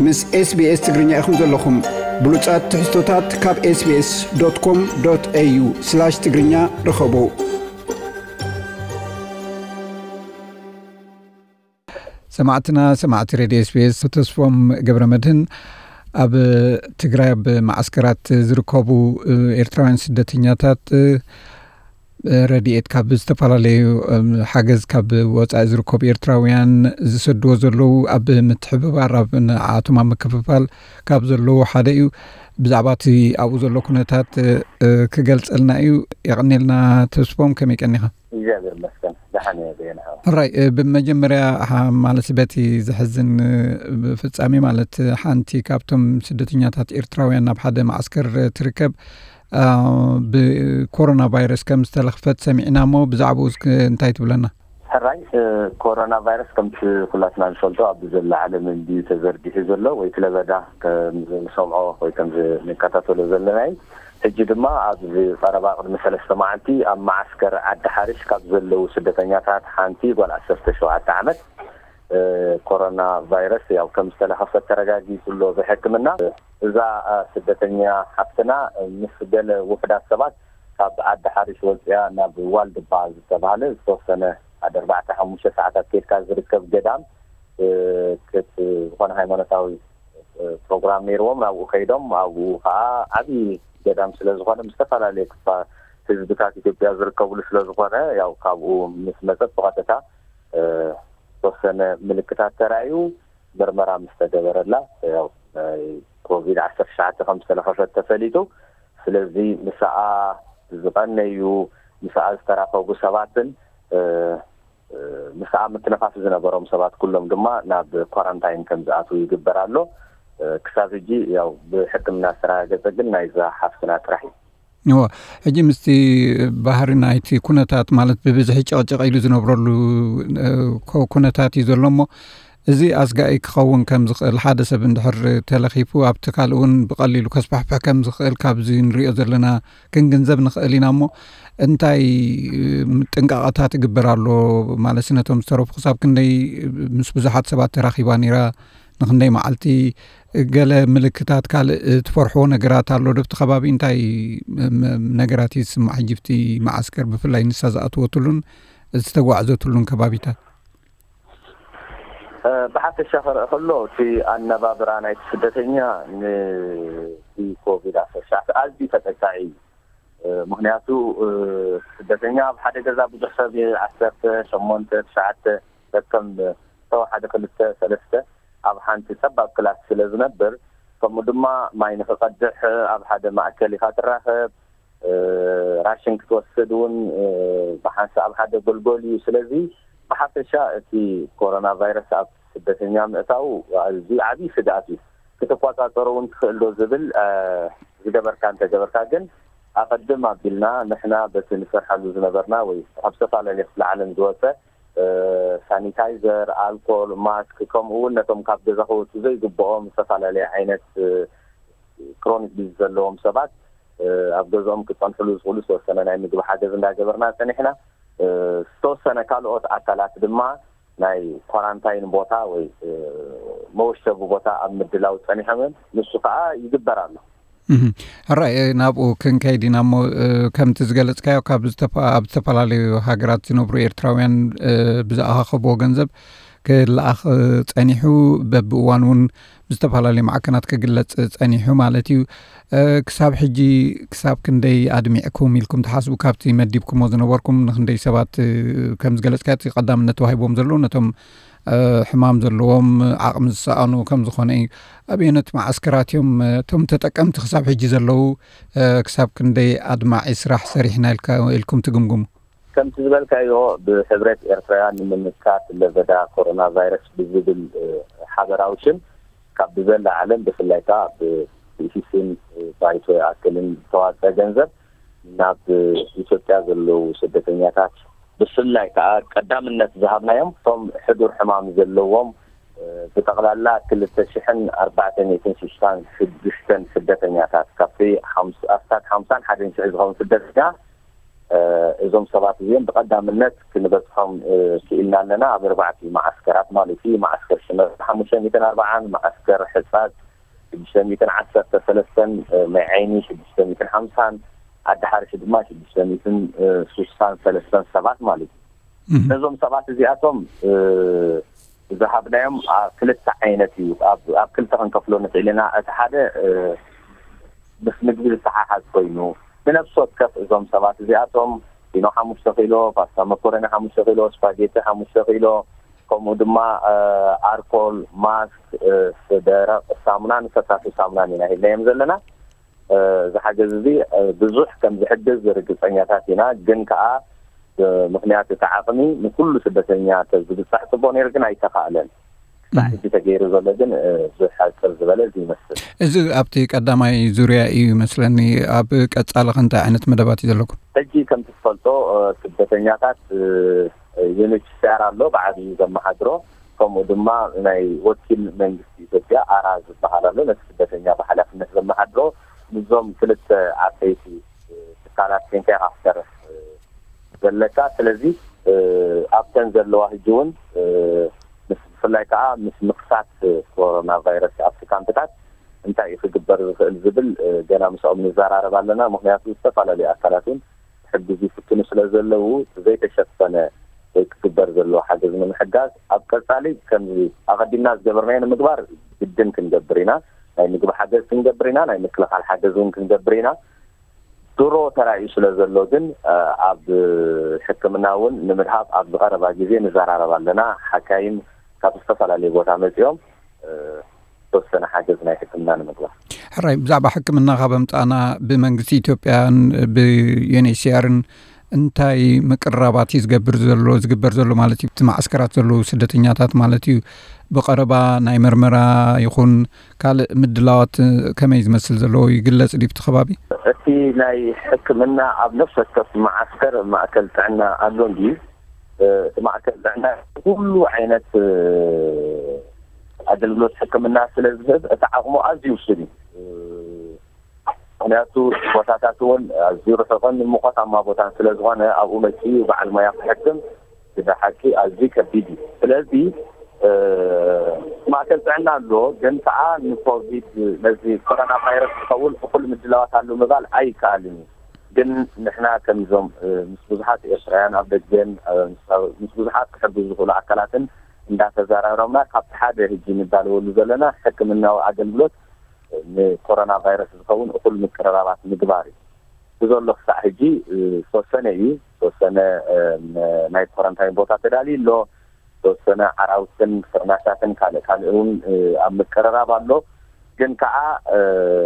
ምስ SBS ትግርኛ ኢኹም ዘለኹም። ብሉጻት ትሕዝቶታት ካብ SBS.com.au/ትግርኛ ርኸቡ። ሰማዕትና፣ ሰማዕቲ ሬድዮ SBS፣ ተስፎም ገብረ መድህን ኣብ ትግራይ ኣብ ማዓስከራት ዝርከቡ ኤርትራውያን ስደተኛታት ረድኤት ካብ ዝተፈላለዩ ሓገዝ ካብ ወፃኢ ዝርከቡ ኤርትራውያን ዝሰድዎ ዘለዉ ኣብ ምትሕብባር ኣብ ንዓቶም ኣብ ምክፍፋል ካብ ዘለዉ ሓደ እዩ። ብዛዕባ እቲ ኣብኡ ዘሎ ኩነታት ክገልፀልና እዩ። የቐኔልና ተስፎም፣ ከመይ ቀኒኻ? እግዚኣብሔር ይመስገን፣ ደሓን እየ። በየናኻ? ሕራይ፣ ብመጀመርያ ማለት በቲ ዘሕዝን ፍጻሜ፣ ማለት ሓንቲ ካብቶም ስደተኛታት ኤርትራውያን ናብ ሓደ ማዓስከር ትርከብ ብኮሮና ቫይረስ ከም ዝተለኽፈት ሰሚዕና እሞ ብዛዕባኡ እስኪ እንታይ ትብለና? ሕራይ፣ ኮሮና ቫይረስ ከምቲ ኩላትና ንፈልጦ ኣብዚ ዘላ ዓለም እንድዩ ተዘርጊሑ ዘሎ ወይ እቲ ለበዳ ከም ዝንሰምዖ ወይ ከም ዝንከታተሎ ዘለና እዩ። ሕጂ ድማ ኣብዚ ቀረባ ቅድሚ ሰለስተ መዓልቲ ኣብ መዓስከር ዓዲ ሓርሽ ካብ ዘለዉ ስደተኛታት ሓንቲ ጓል ዓሰርተ ሸውዓተ ዓመት ኮሮና ቫይረስ ያው ከም ዝተለኸፈት ተረጋጊጹ ኣሎ ብሕክምና። እዛ ስደተኛ ሓፍትና ምስ ገለ ውሑዳት ሰባት ካብ ዓዲ ሓርሽ ወፅያ ናብ ዋልድባ ዝተባህለ ዝተወሰነ ሓደ ኣርባዕተ ሓሙሽተ ሰዓታት ከድካ ዝርከብ ገዳም ክት ዝኾነ ሃይማኖታዊ ፕሮግራም ነይርዎም ናብኡ ከይዶም ኣብኡ ከዓ ዓብዪ ገዳም ስለዝኾነ ምስ ዝተፈላለዩ ክፋ ህዝብታት ኢትዮጵያ ዝርከብሉ ስለዝኾነ ያው ካብኡ ምስ መፀት ብቐጥታ ዝተወሰነ ምልክታት ተራእዩ ምርመራ ምስ ተገበረላ ያው ናይ ኮቪድ ዓሰርተ ትሽዓተ ከም ዝተለኸፈት ተፈሊጡ። ስለዚ ምስኣ ዝቐነዩ ምስኣ ዝተራኸቡ ሰባትን ምስኣ ምትንኻፍ ዝነበሮም ሰባት ኩሎም ድማ ናብ ኳራንታይን ከም ዝኣትዉ ይግበር ኣሎ። ክሳብ ሕጂ ያው ብሕክምና ዝተረጋገጸ ግን ናይዛ ሓፍትና ጥራሕ እዩ። እዎ፣ ሕጂ ምስቲ ባህሪ ናይቲ ኩነታት ማለት ብብዝሒ ጨቕጨቕ ኢሉ ዝነብረሉ ኩነታት እዩ ዘሎ እሞ እዚ ኣስጋኢ ክኸውን ከም ዝኽእል ሓደ ሰብ እንድሕር ተለኺፉ ኣብቲ ካልእ እውን ብቐሊሉ ከስፋሕፍሕ ከም ዝኽእል ካብዚ ንሪኦ ዘለና ክንግንዘብ ንኽእል ኢና እሞ እንታይ ጥንቃቐታት ይግበር ኣሎ ማለት ነቶም ዝተረፉ ክሳብ ክንደይ ምስ ብዙሓት ሰባት ተራኺባ ነይራ ንክንደይ መዓልቲ ገለ ምልክታት ካልእ ትፈርሕዎ ነገራት ኣሎ ዶ ኣብቲ ከባቢ እንታይ ነገራት ይስማዕ ሕጂ ኣብቲ መዓስከር ብፍላይ ንሳ ዝኣትወትሉን ዝተጓዕዘትሉን ከባቢታት? ብሓፈሻ ክረአ ከሎ እቲ ኣነባብራ ናይቲ ስደተኛ ንኮቪድ ዓሰርተ ትሽዓተ ኣዝዩ ተጠቃዒ እዩ። ምክንያቱ ስደተኛ ኣብ ሓደ ገዛ ብዙሕ ሰብ ዓሰርተ ሸሞንተ ትሽዓተ ከከም ዝተወሓደ ክልተ ሰለስተ ኣብ ሓንቲ ጸባብ ክላስ ስለ ዝነብር ከምኡ ድማ ማይ ንክቐድሕ ኣብ ሓደ ማእከል ኢኻ ትራኸብ ራሽን ክትወስድ እውን ብሓንሳእ ኣብ ሓደ ጎልጎል እዩ። ስለዚ ብሓፈሻ እቲ ኮሮና ቫይረስ ኣብ ስደተኛ ምእታው ኣዝዩ ዓብዪ ስግኣት እዩ። ክትቆፃፀሮ እውን ትኽእል ዶ ዝብል ዝገበርካ እንተገበርካ ግን ኣቐድም ኣቢልና ንሕና በቲ ንሰርሓሉ ዝነበርና ወይ ካብ ዝተፈላለየ ክፍለ ዓለም ዝወፀ ሳኒታይዘር፣ ኣልኮል፣ ማስክ ከምኡ እውን ነቶም ካብ ገዛ ክወፁ ዘይግብኦም ዝተፈላለየ ዓይነት ክሮኒክ ዲዝ ዘለዎም ሰባት ኣብ ገዝኦም ክፀንሕሉ ዝኽእሉ ዝተወሰነ ናይ ምግቢ ሓገዝ እንዳገበርና ፀኒሕና። ዝተወሰነ ካልኦት ኣካላት ድማ ናይ ኳራንታይን ቦታ ወይ መወሸቢ ቦታ ኣብ ምድላው ፀኒሖምን ንሱ ከዓ ይግበር ኣሎ። ሕራይ ናብኡ ክንከይድ ኢና እሞ ከምቲ ዝገለፅካዮ ካብ ኣብ ዝተፈላለዩ ሃገራት ዝነብሩ ኤርትራውያን ብዝኣኻኸብዎ ገንዘብ ክለኣኽ ጸኒሑ፣ በብእዋኑ እውን ብዝተፈላለዩ ማዕከናት ክግለጽ ጸኒሑ ማለት እዩ። ክሳብ ሕጂ ክሳብ ክንደይ ኣድሚዕኩም ኢልኩም ትሓስቡ? ካብቲ መዲብኩሞ ዝነበርኩም ንክንደይ ሰባት፣ ከም ዝገለጽካዮ፣ እቲ ቀዳምነት ተዋሂቦም ዘለዉ ነቶም ሕማም ዘለዎም፣ ዓቕሚ ዝሰኣኑ ከም ዝኾነ እዩ። ኣበየኖት መዓስከራት እዮም እቶም ተጠቀምቲ ክሳብ ሕጂ ዘለዉ? ክሳብ ክንደይ ኣድማዒ ስራሕ ሰሪሕና ኢልኩም ትግምግሙ? ከምቲ ዝበልካዮ ብሕብረት ኤርትራውያን ንምምካት ለበዳ ኮሮና ቫይረስ ብዝብል ሓበራዊ ሽም ካብ ብዘላ ዓለም ብፍላይ ከዓ ብኢሲሲን ባይቶ ይኣክልን ዝተዋፀ ገንዘብ ናብ ኢትዮጵያ ዘለዉ ስደተኛታት ብፍላይ ከዓ ቀዳምነት ዝሃብናዮም እቶም ሕዱር ሕማም ዘለዎም ብጠቕላላ ክልተ ሽሕን ኣርባዕተ ሚእትን ስሳን ሽዱሽተን ስደተኛታት ካብቲ ኣስታት ሓምሳን ሓደን ሽሕ ዝኸውን ስደተኛ እዞም ሰባት እዚኦም ብቐዳምነት ክንበፅሖም ክኢልና ኣለና። ኣብ ኣርባዕቲ መዓስከራት ማለት እዩ። መዓስከር ሽመ ሓሙሽተ ሚእትን ኣርባዓን፣ መዓስከር ሕፃፅ ሽዱሽተ ሚእትን ዓሰርተ ሰለስተን፣ ማይ ዓይኒ ሽዱሽተ ሚእትን ሓምሳን፣ ዓዲ ሓርሽ ድማ ሽዱሽተ ሚእትን ስሳን ሰለስተን ሰባት ማለት እዩ። ነዞም ሰባት እዚኣቶም ዝሃብናዮም ክልተ ዓይነት እዩ። ኣብ ክልተ ክንከፍሎ ንኽእል ኢና። እቲ ሓደ ምስ ምግቢ ዝተሓሓዝ ኮይኑ፣ ብነፍሲ ወከፍ እዞም ሰባት እዚኣቶም ፊኖ ሓሙሽተ ኪሎ፣ ፓስታ መኮረኒ ሓሙሽተ ኪሎ፣ ስፓጌቲ ሓሙሽተ ኪሎ፣ ከምኡ ድማ ኣርኮል፣ ማስክ፣ ደረቕ ሳሙናን ፈሳሲ ሳሙናን ኢና ሂብናዮም ዘለና። እዚ ሓገዝ እዚ ብዙሕ ከም ዝሕግዝ ርግፀኛታት ኢና። ግን ከዓ ብምኽንያት እቲ ዓቕሚ ንኩሉ ስደተኛ ተዝብፃሕ ፅቡቕ ነይሩ፣ ግን ኣይተኻእለን። ክሳዕ ሕጂ ተገይሩ ዘሎ ግን ዝሕፅር ዝበለ እዚ ይመስል። እዚ ኣብቲ ቀዳማይ ዙርያ እዩ ይመስለኒ። ኣብ ቀፃሊ ከ እንታይ ዓይነት መደባት እዩ ዘለኩም? ሕጂ ከምቲ ትፈልጦ ስደተኛታት ዩኤንኤችሲኣር ኣሎ ብዓብዩ ዘመሓድሮ፣ ከምኡ ድማ ናይ ወኪል መንግስቲ ኢትዮጵያ ኣራ ዝበሃል ኣሎ፣ ነቲ ስደተኛ ብሓላፍነት ዘመሓድሮ። ምስዞም ክልተ ዓበይቲ ትካላት ኮይንካ ኢኻ ክትሰርሕ ዘለካ። ስለዚ ኣብተን ዘለዋ ሕጂ እውን ምስ ብፍላይ ከዓ ምስ ምክሳት ኮሮና ቫይረስ ኣብቲ ካምፕታት እንታይ እዩ ክግበር ዝኽእል ዝብል ገና ምስኦም ንዘራረብ ኣለና። ምክንያቱ ዝተፈላለዩ ኣካላት እውን ክሕግዙ ይፍትኑ ስለ ዘለዉ፣ ዘይተሸፈነ ወይ ክግበር ዘለዎ ሓገዝ ንምሕጋዝ ኣብ ቀፃሊ ከምዚ ኣቐዲምና ዝገበርናዮ ንምግባር ግድን ክንገብር ኢና። ናይ ምግቢ ሓገዝ ክንገብር ኢና፣ ናይ ምክልኻል ሓገዝ እውን ክንገብር ኢና። ድሮ ተራእዩ ስለ ዘሎ ግን ኣብ ሕክምና እውን ንምድሃብ ኣብ ዝቐረባ ግዜ ንዘራረብ ኣለና። ሓካይም ካብ ዝተፈላለዩ ቦታ መፂኦም ዝተወሰነ ሓገዝ ናይ ሕክምና ንምግባር። ሕራይ፣ ብዛዕባ ሕክምና ካብ ኣምፃእና ብመንግስቲ ኢትዮጵያን ብዩኤንኤችሲኣርን እንታይ ምቅርራባት እዩ ዝገብር ዘሎ ዝግበር ዘሎ ማለት እዩ? እቲ ማዓስከራት ዘለዉ ስደተኛታት ማለት እዩ። ብቐረባ ናይ መርመራ ይኹን ካልእ ምድላዋት ከመይ ዝመስል ዘለዎ ይግለጽ ድዩ ኣብቲ ከባቢ? እቲ ናይ ሕክምና ኣብ ነፍሲ ወከፍ መዓስከር ማእከል ጥዕና ኣሎ እንድዩ። እቲ ማእከል ጥዕና ኩሉ ዓይነት ኣገልግሎት ሕክምና ስለ ዝህብ እቲ ዓቕሙ ኣዝዩ ውሱን እዩ። ምክንያቱ ቦታታት እውን ኣዝዩ ርሑቕን ሙቐታማ ቦታን ስለ ዝኾነ ኣብኡ መፂኡ በዓል ሞያ ክሕክም ብሓቂ ኣዝዩ ከቢድ እዩ። ስለዚ ማእከል ጥዕና ኣሎ፣ ግን ከዓ ንኮቪድ ነዚ ኮሮና ቫይረስ ዝኸውን እኹል ምድላዋት ኣሎ ምባል ኣይከኣልን እዩ። ግን ንሕና ከምዞም ምስ ብዙሓት ኤርትራውያን ኣብ ደገን ምስ ብዙሓት ክሕግዙ ዝኽእሉ ኣካላትን እንዳተዘራረብና ካብቲ ሓደ ሕጂ ንዳለወሉ ዘለና ሕክምናዊ ኣገልግሎት ንኮሮና ቫይረስ ዝኸውን እኹል ምቅርራባት ምግባር እዩ። ብዘሎ ክሳዕ ሕጂ ዝተወሰነ እዩ። ዝተወሰነ ናይ ኮረንታይን ቦታ ተዳልዩ ኣሎ። ዝተወሰነ ዓራውትን ፍርናሻትን ካልእ ካልእ እውን ኣብ ምቅርራብ ኣሎ። ግን ከዓ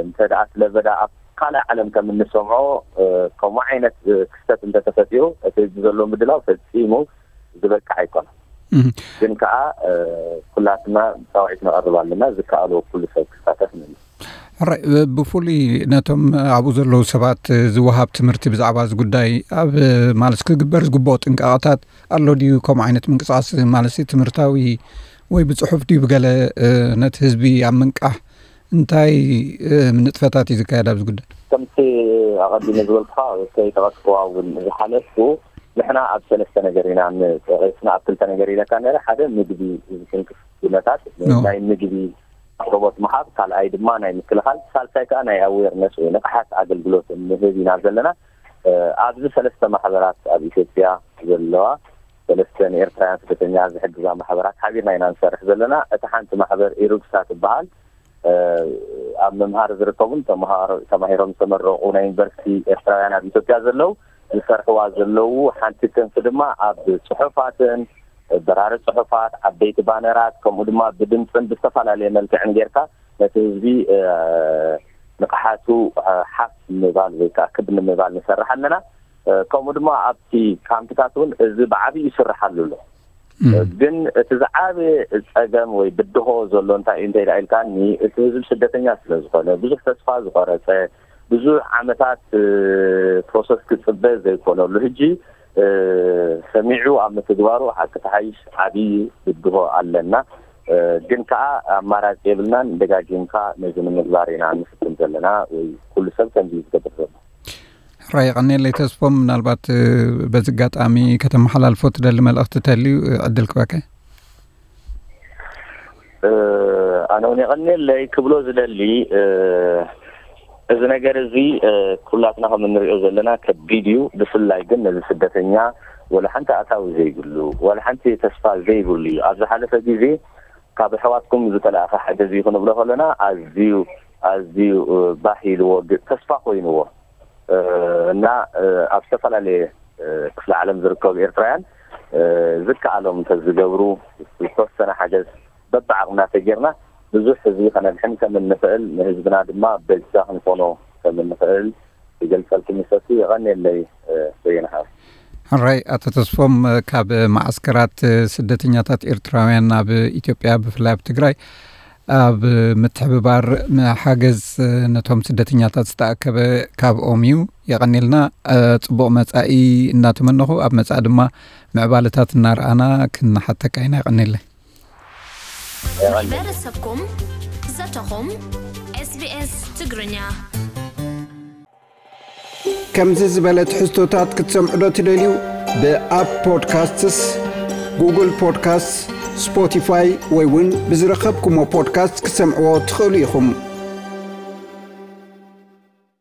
እንተ ደኣ ስለበዳ ኣብ ካልእ ዓለም ከም እንሰምዖ ከምኡ ዓይነት ክስተት እንተተፈጢሩ እቲ ዘሎ ምድላው ፈጺሙ ዝበቅዕ ኣይኮነን። ግን ከዓ ኩላትና ፃውዒት ነቐርብ ኣለና፣ ዝከኣሎ ኩሉ ሰብ ክሳተፍ ንብል። ሕራይ፣ ብፍሉይ ነቶም ኣብኡ ዘለዉ ሰባት ዝወሃብ ትምህርቲ ብዛዕባ እዚ ጉዳይ ኣብ ማለት ክግበር ዝግብኦ ጥንቃቐታት ኣሎ ድዩ? ከምኡ ዓይነት ምንቅስቃስ ማለት ትምህርታዊ ወይ ብፅሑፍ ድዩ ብገለ ነቲ ህዝቢ ኣብ ምንቃሕ እንታይ ንጥፈታት እዩ ዝካየድ ኣብዚ ጉዳይ? ከምቲ ኣቐዲመ ዝበልኩኻ ከይጠቐስክዋ እውን ዝሓለፍኩ ንሕና ኣብ ሰለስተ ነገር ኢና ንጠቂስና ኣብ ክልተ ነገር ኢለካ ነረ ሓደ ምግቢ ዝትንክፍ ኩነታት ናይ ምግቢ ኣቅርቦት ምሃብ፣ ካልኣይ ድማ ናይ ምክልኻል፣ ሳልሳይ ከዓ ናይ ኣዌርነስ ወይ ንቕሓት ኣገልግሎት ንህብ ኢና ዘለና። ኣብዚ ሰለስተ ማሕበራት ኣብ ኢትዮጵያ ዘለዋ ሰለስተ ንኤርትራውያን ስደተኛ ዝሕግዛ ማሕበራት ሓቢርና ኢና ንሰርሕ ዘለና። እታ ሓንቲ ማሕበር ኢሩግሳ ትበሃል። ኣብ ምምሃር ዝርከቡን ተማሂሮም ዝተመረቑ ናይ ዩኒቨርሲቲ ኤርትራውያን ኣብ ኢትዮጵያ ዘለዉ ዝሰርሕዋ ዘለዉ ሓንቲ ክንፊ ድማ ኣብ ጽሑፋትን በራሪ ጽሑፋት፣ ዓበይቲ ባነራት፣ ከምኡ ድማ ብድምፅን ብዝተፈላለየ መልክዕን ጌርካ ነቲ ህዝቢ ንቕሓቱ ሓፍ ንምባል ወይ ከዓ ክብ ንምባል ንሰርሕ ኣለና። ከምኡ ድማ ኣብቲ ካምፕታት እውን እዚ ብዓብዩ ይስርሓሉ ኣሎ። ግን እቲ ዝዓበየ ፀገም ወይ ብድሆ ዘሎ እንታይ እዩ እንተ ኢልካ ኢልካኒ፣ እቲ ህዝቢ ስደተኛ ስለ ዝኾነ፣ ብዙሕ ተስፋ ዝቆረፀ፣ ብዙሕ ዓመታት ፕሮሰስ ክፅበ ዘይኮነሉ፣ ሕጂ ሰሚዑ ኣብ ምትግባሩ ሓቂ ተሓይሽ ዓብዪ ብድሆ ኣለና። ግን ከዓ ኣማራፂ የብልናን። ደጋጊምካ ነዚ ንምግባር ኢና ንፍትን ዘለና፣ ወይ ኩሉ ሰብ ከምዚ እዩ ዝገብር ዘሎ። ሕራይ የቐንየለይ ተስፎም፣ ምናልባት በዚ ኣጋጣሚ ከተመሓላልፎ ትደሊ መልእኽቲ ተልዩ ዕድል ክበከ። ኣነ እውን የቐንየለይ ክብሎ ዝደሊ፣ እዚ ነገር እዚ ኩላትና ከም እንሪኦ ዘለና ከቢድ እዩ። ብፍላይ ግን ነዚ ስደተኛ ወላ ሓንቲ ኣታዊ ዘይብሉ፣ ወላ ሓንቲ ተስፋ ዘይብሉ እዩ። ኣብ ዝሓለፈ ግዜ ካብ ኣሕዋትኩም ዝተለኣኸ ሓገዝ እዩ ክንብሎ ከለና ኣዝዩ ኣዝዩ ባህ ኢልዎ፣ ተስፋ ኮይንዎ እና ኣብ ዝተፈላለየ ክፍለ ዓለም ዝርከቡ ኤርትራውያን ዝከኣሎም እንተዝገብሩ፣ ዝተወሰነ ሓገዝ በብዓቕምና ተጌርና ብዙሕ ህዝቢ ከነድሕን ከም እንኽእል፣ ንህዝብና ድማ በጃ ክንኾኖ ከም እንኽእል ይገልጸልኩም ይፈቱ። የቐንየለይ በየነ ሓወይ። ሕራይ ኣቶ ተስፎም፣ ካብ ማዓስከራት ስደተኛታት ኤርትራውያን ኣብ ኢትዮጵያ፣ ብፍላይ ኣብ ትግራይ ኣብ ምትሕብባር ሓገዝ ነቶም ስደተኛታት ዝተኣከበ ካብኦም እዩ። የቐንየልና። ጽቡቕ መጻኢ እናተመነኹ፣ ኣብ መጻኢ ድማ ምዕባለታት እናረኣና ክንሓተካ ኢና። የቐንየለይ። ማሕበረሰብኩም፣ ዘተኹም፣ SBS ትግርኛ። ከምዚ ዝበለ ትሕዝቶታት ክትሰምዑ ዶ ትደልዩ? ብኣፕ ፖድካስትስ፣ ጉግል ፖድካስትስ፣ ስፖቲፋይ ወይ እውን ብዝረኸብኩሞ ፖድካስት ክትሰምዕዎ ትኽእሉ ኢኹም።